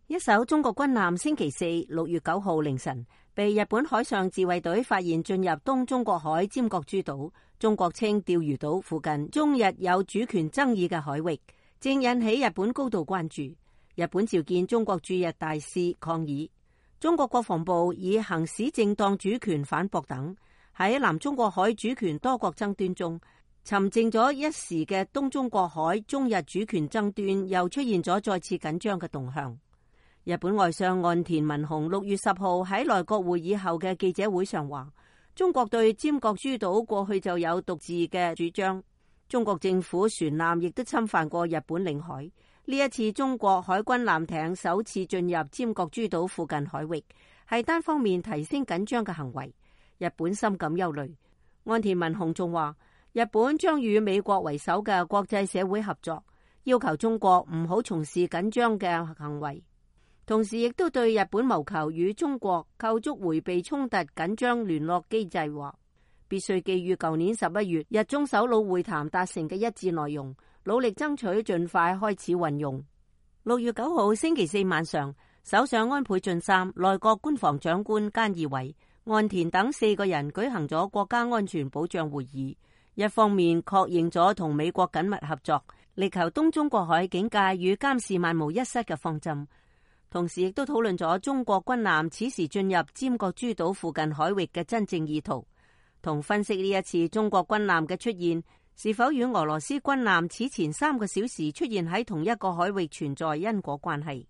一艘中國軍艦星期四6月9號凌晨被日本海上自衛隊發現進入東中國海尖閣諸島，中國稱釣魚島附近中日有主權爭議嘅海域，正引起日本高度關注。日本召見中國駐日大使抗議，中國國防部以行使正當主權反駁等，喺南中國海主權多國爭端中，沉靜咗一時嘅東中國海中日主權爭端又出現咗再次緊張嘅動向。日本外相岸田文雄6月10號喺內閣會議後嘅記者會上話，中國對尖閣諸島過去就有獨自嘅主張，中國政府船艦亦都侵犯過日本領海。呢一次中國海軍艦艇首次進入尖閣諸島附近海域，係單方面提升緊張嘅行為，日本深感憂慮。岸田文雄仲話，日本將與美國為首嘅國際社會合作，要求中國唔好從事緊張嘅行為。同時亦都對日本謀求與中國構築迴避衝突緊張聯絡機制話，必須基於舊年11月日中首腦會談達成嘅一致內容，努力爭取盡快開始運用。6月9號星期四晚上，首相安倍晉三、內閣官房長官菅義偉、岸田等4個人舉行咗國家安全保障會議，一方面確認咗同美國緊密合作，力求東中國海警戒與監視萬無一失嘅方針，同時亦都討論咗中國軍艦此時進入尖閣諸島附近海域嘅真正意圖，同分析呢一次中國軍艦嘅出現是否與俄羅斯軍艦此前3個小時出現喺同一個海域存在因果關係。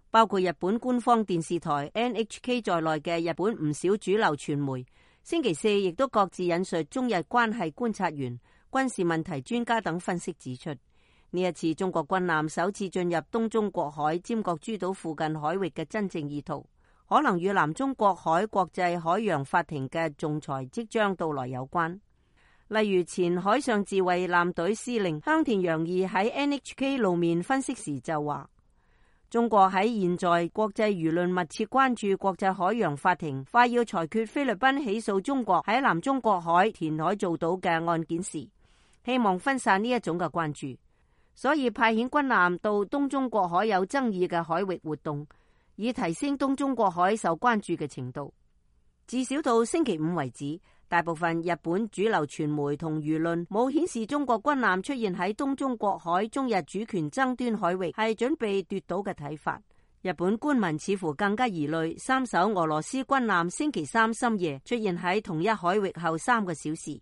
包括日本官方電視台 NHK 在內嘅日本唔少主流傳媒，星期四亦都各自引述中日關係觀察員、軍事問題專家等分析指出，呢一次中國軍艦首次進入東中國海尖閣諸島附近海域嘅真正意圖，可能與南中國海國際海洋法庭嘅仲裁即將到來有關。例如前海上自衛艦隊司令香田洋二喺 NHK 露面分析時就話，中國喺現在國際輿論密切關注國際海洋法庭快要裁決菲律賓起訴中國喺南中國海填海造島嘅案件時，希望分散呢一種嘅關注，所以派遣軍艦到東中國海有爭議嘅海域活動，以提升東中國海受關注嘅程度。至少到星期五為止，大部分日本主流傳媒同輿論冇顯示中國軍艦出現喺東中國海中日主權爭端海域係準備奪島嘅睇法。日本官民似乎更加疑慮3艘俄羅斯軍艦星期三深夜出現喺同一海域後3個小時，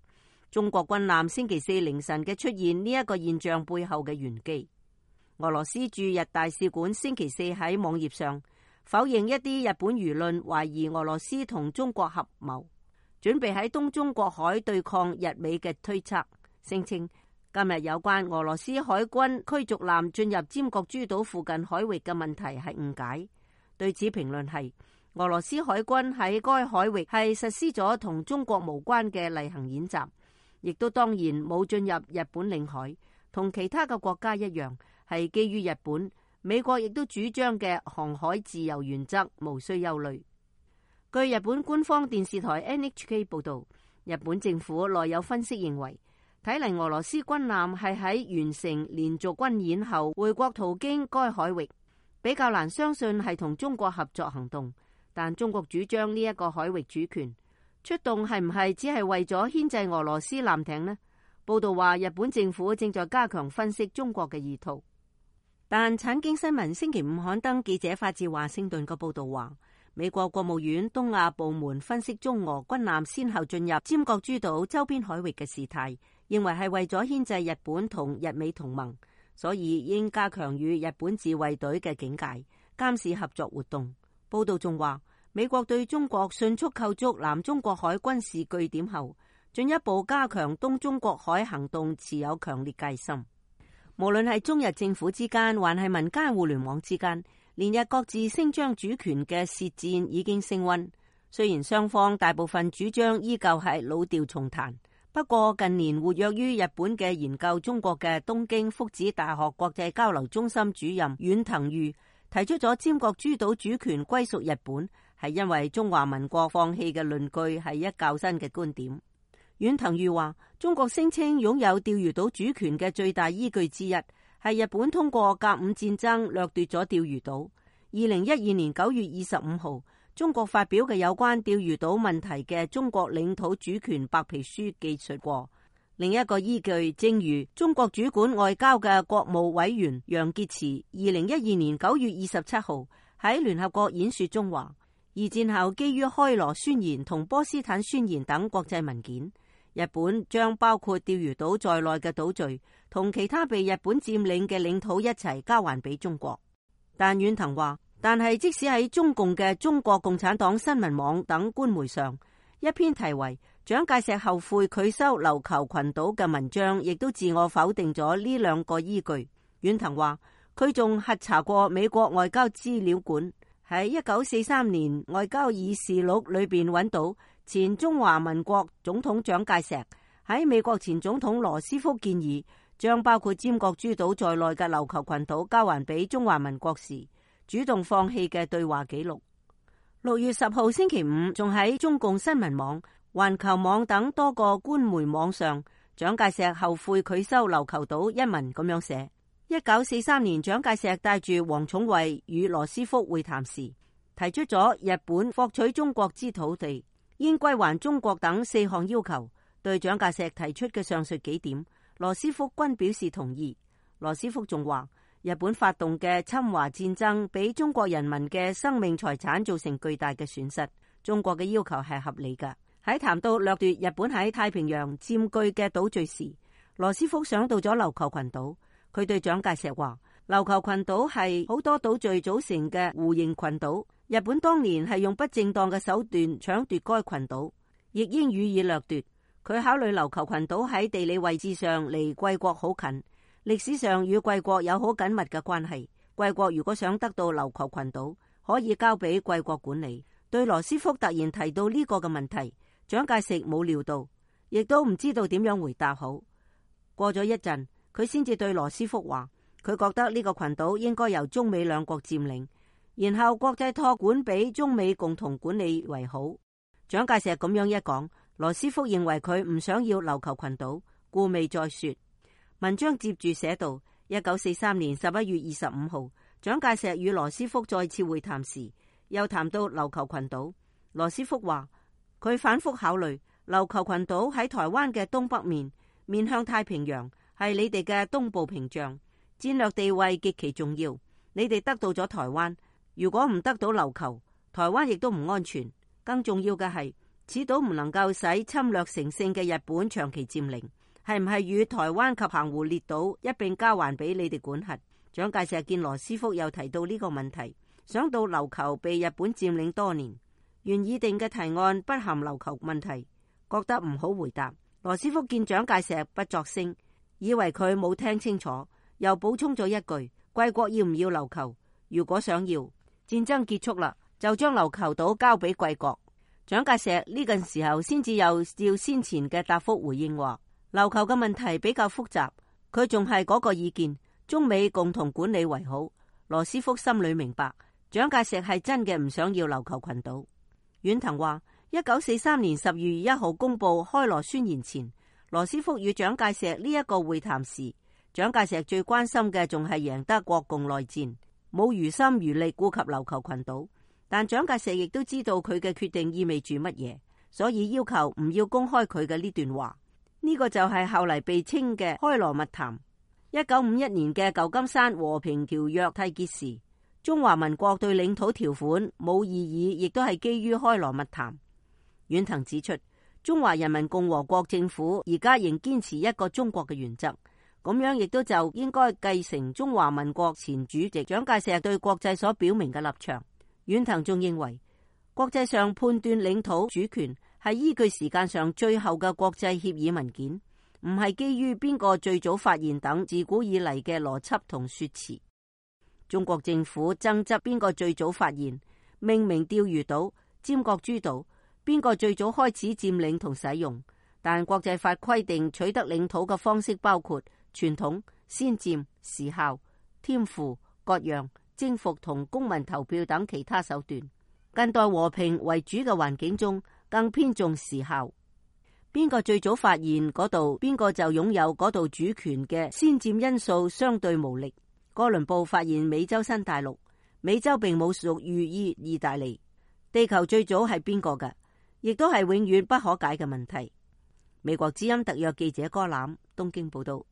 中國軍艦星期四凌晨嘅出現呢一個現象背後嘅玄機。俄羅斯駐日大使館星期四喺網頁上否認一啲日本輿論懷疑俄羅斯同中國合謀，準備喺東中國海對抗日美嘅推測，聲稱今日有關俄羅斯海軍驅逐艦進入尖閣諸島附近海域嘅問題係誤解。對此評論係，俄羅斯海軍喺該海域係實施咗同中國無關嘅例行演習，亦都當然冇進入日本領海，同其他嘅國家一樣，係基於日本、美國亦都主張嘅航海自由原則，無需憂慮。據日本官方電視台 NHK 報道，日本政府內有分析認為，睇嚟俄羅斯軍艦係喺完成連續軍演後回國途經該海域，比較難相信係同中國合作行動。但中國主張呢一個海域主權，出動係唔係只係為咗牽制俄羅斯艦艇呢？報道話日本政府正在加強分析中國嘅意圖。但產經新聞星期五刊登記者發自華盛頓嘅報道話，美國國務院東亞部門分析中俄軍艦先後進入尖閣諸島周邊海域嘅事態，認為係為咗牽制日本同日美同盟，所以應加強與日本自衛隊嘅警戒、監視合作活動。報道仲話，美國對中國迅速構築南中國海軍事據點後，進一步加強東中國海行動持有強烈戒心。無論係中日政府之間，還係民間互聯網之間，連日各自聲張主權嘅舌戰已經升溫。雖然雙方大部分主張依舊係老調重彈，不過近年活躍於日本嘅研究中國嘅東京福祉大學國際交流中心主任遠藤裕提出咗尖閣諸島主權歸屬日本，係因為中華民國放棄嘅論據係一較新嘅觀點。遠藤裕話，中國聲稱擁有釣魚島主權嘅最大依據之一係日本通過甲午戰爭掠奪咗釣魚島，而2012年9月25號，中國發表嘅有關釣魚島問題嘅中國領土主權白皮書記述過。另一個依據，正如中國主管外交嘅國務委員楊潔篪2012年9月27號喺聯合國演說中話，二戰後基於開羅宣言同波斯坦宣言等國際文件，日本將包括釣魚島在內嘅島嶼同其他被日本佔領嘅領土一齊交還俾中國。但遠藤話，但係即使喺中共嘅中國共產黨新聞網等官媒上，一篇題為蔣介石後悔拒收琉球群島嘅文章，亦都自我否定咗呢兩個依據。遠藤話，佢仲核查過美國外交資料館，喺1943年外交議事錄裏邊揾到前中華民國總統蔣介石喺美國前總統羅斯福建議將包括尖閣諸島在內嘅琉球群島交還俾中華民國時，主動放棄嘅對話記錄。6月10號星期五，仲喺中共新聞網、環球網等多個官媒網上，蔣介石後悔拒收琉球島一文咁樣寫。1943年，蔣介石帶住王寵惠與羅斯福會談時，提出咗日本獲取中國之土地應歸還中國等4項要求。對蔣介石提出嘅上述幾點，羅斯福均表示同意。羅斯福仲話，日本發動嘅侵華戰爭俾中國人民嘅生命財產造成巨大嘅損失，中國嘅要求係合理㗎。喺談到掠奪日本喺太平洋佔據嘅島嶼時，羅斯福想到咗琉球群島。佢對蔣介石話，琉球群島係好多島嶼組成嘅弧形群島，日本當年係用不正當嘅手段搶奪該群島，亦應予以掠奪。佢考慮琉球群島喺地理位置上離貴國好近，歷史上與貴國有好緊密嘅關係。貴國如果想得到琉球群島，可以交俾貴國管理。對羅斯福突然提到呢個嘅問題，蔣介石冇料到，亦都唔知道點樣回答好。過咗一陣，佢先至對羅斯福話，佢覺得呢個群島應該由中美兩國佔領，然後國際託管俾中美共同管理為好。蔣介石咁樣一講，羅斯福認為佢唔想要琉球群島，故未再說。文章接住寫道，1943年11月25號，蔣介石與羅斯福再次會談時，又談到琉球群島。羅斯福話，佢反覆考慮，琉球群島喺台灣嘅東北面，面向太平洋，係你哋嘅東部屏障，戰略地位極其重要。你哋得到咗台灣，如果唔得到琉球，台灣亦都唔安全。更重要嘅係，此島唔能夠使侵略成性嘅日本長期佔領，係唔係與台灣及澎湖列島一併交還俾你哋管轄？蔣介石見羅斯福又提到呢個問題，想到琉球被日本佔領多年，原擬定嘅提案不含琉球問題，覺得唔好回答。羅斯福見蔣介石不作聲，以為佢冇聽清楚，又補充咗一句：貴國要唔要琉球？如果想要，戰爭結束啦，就將琉球島交俾貴國。蔣介石呢個時候先至又照先前嘅答覆回應話，琉球嘅問題比較複雜，佢仲係嗰個意見，中美共同管理為好。羅斯福心裏明白，蔣介石係真嘅唔想要琉球群島。遠藤話，1943年10月1號公布開羅宣言前，羅斯福與蔣介石呢一個會談時，蔣介石最關心嘅仲係贏得國共內戰，冇餘心餘力顧及琉球群島。但蔣介石亦都知道佢嘅決定意味住乜嘢，所以要求唔要公開佢嘅呢段話。呢個就係後嚟被稱嘅開羅密談。1951年嘅舊金山和平條約締結時，中華民國對領土條款冇異議，亦都係基於開羅密談。遠藤指出，中華人民共和國政府而家仍堅持一個中國嘅原則，咁樣亦都就應該繼承中華民國前主席蔣介石對國際所表明嘅立場。遠藤仲認為，國際上判斷領土主權係依據時間上最後嘅國際協議文件，唔係基於邊個最早發現等自古以嚟嘅邏輯同說辭。中國政府爭執邊個最早發現、命名釣魚島、尖閣諸島，邊個最早開始佔領同使用，但國際法規定取得領土嘅方式包括傳統、先佔、時效、添附、割讓、征服同公民投票等其他手段。近代和平為主嘅環境中，更偏重時效。邊個最早發現嗰度，邊個就擁有嗰度主權嘅先佔因素相對無力。哥倫布發現美洲新大陸，美洲並冇屬於意大利。地球最早係邊個㗎？亦都係永遠不可解嘅問題。美國之音特約記者柯欖東京報道。